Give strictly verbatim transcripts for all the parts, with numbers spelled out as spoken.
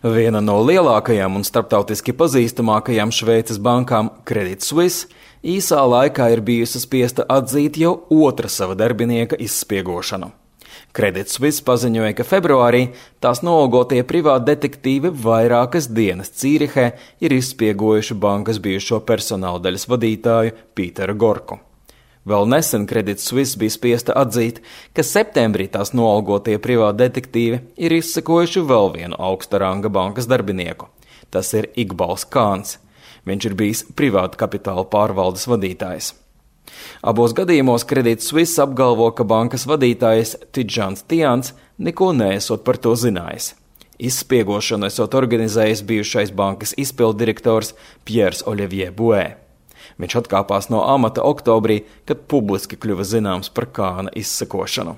Viena no lielākajām un starptautiski pazīstamākajām Šveices bankām, Credit Suisse, īsā laikā ir bijusi spiesta atzīt jau otra sava darbinieka izspiegošanu. Credit Suisse paziņoja, ka februārī tās noalgotie privāti detektīvi vairākas dienas Cīrihē ir izspiegojuši bankas bijušo personāla daļas vadītāju Pīteru Gorku. Vēl nesen Credit Suisse bija spiesta atzīt, ka septembrī tās noalgotie privāti detektīvi ir izsekojuši vēl vienu augsta ranga bankas darbinieku. Tas ir Iqbals Kāns. Viņš ir bijis privāta kapitāla pārvaldes vadītājs. Abos gadījumos Credit Suisse apgalvo, ka bankas vadītājs Tidžans Tians neko neesot par to zinājis. Izspiegošanu esot organizējis bijušais bankas izpilddirektors Piers Olivier Bouet. Viņš atkāpās no amata oktobrī, kad publiski kļuva zināms par Kāna izsekošanu.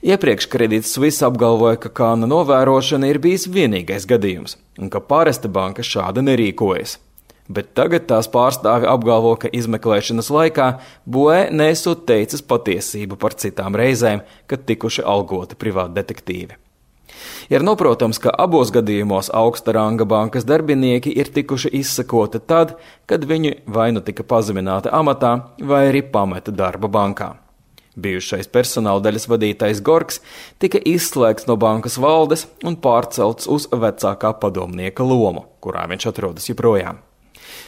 Iepriekš Credit Suisse apgalvoja, ka Kāna novērošana ir bijis vienīgais gadījums un ka parasta banka šāda nerīkojas. Bet tagad tās pārstāvi apgalvo, ka izmeklēšanas laikā Bouet nesot teicis patiesību par citām reizēm, kad tikuši algoti privāti detektīvi. Ir noprotams, ka abos gadījumos augsta ranga bankas darbinieki ir tikuši izsekoti tad, kad viņi vai nu tika pazemināti amatā, vai arī pameta darba bankā. Bijušais personāla daļas vadītājs Gorks tika izslēgts no bankas valdes un pārcelts uz vecākā padomnieka lomu, kurā viņš atrodas joprojām.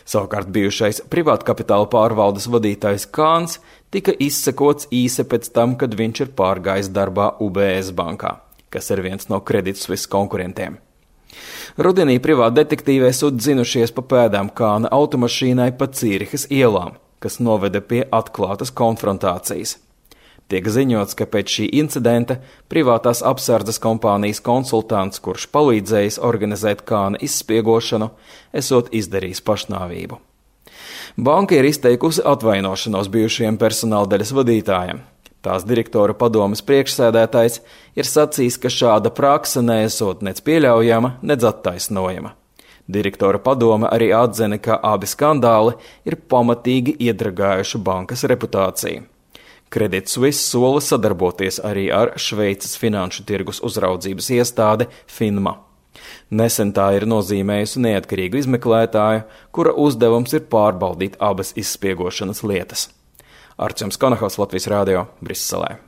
Savukārt bijušais privāta kapitāla pārvaldes vadītājs Kāns tika izsekots īsi pēc tam, kad viņš ir pārgājis darbā U B S bankā, kas ir viens no Credit Suisse konkurentiem. Rudenī privāti detektīvi esot dzinušies pa pēdām Kāna automašīnai pa Cīrihas ielām, kas noveda pie atklātas konfrontācijas. Tiek ziņots, ka pēc šī incidenta privātās apsardzes kompānijas konsultants, kurš palīdzējis organizēt Kāna izspiegošanu, esot izdarījis pašnāvību. Banka ir izteikusi atvainošanos bijušajiem personāla daļas vadītājiem. Tās direktora padomes priekšsēdētājs ir sacījis, ka šāda prakse neesot nec pieļaujama, nec attaisnojama. Direktora padome arī atzina, ka abi skandāli ir pamatīgi iedragājuši bankas reputāciju. Credit Suisse sola sadarboties arī ar Šveices finanšu tirgus uzraudzības iestāde FINMA. Nesen tā ir nozīmējusi neatkarīgu izmeklētāju, kura uzdevums ir pārbaudīt abas izspiegošanas lietas. Arčuns Konahaus, Latvijas Rādio, Briselē.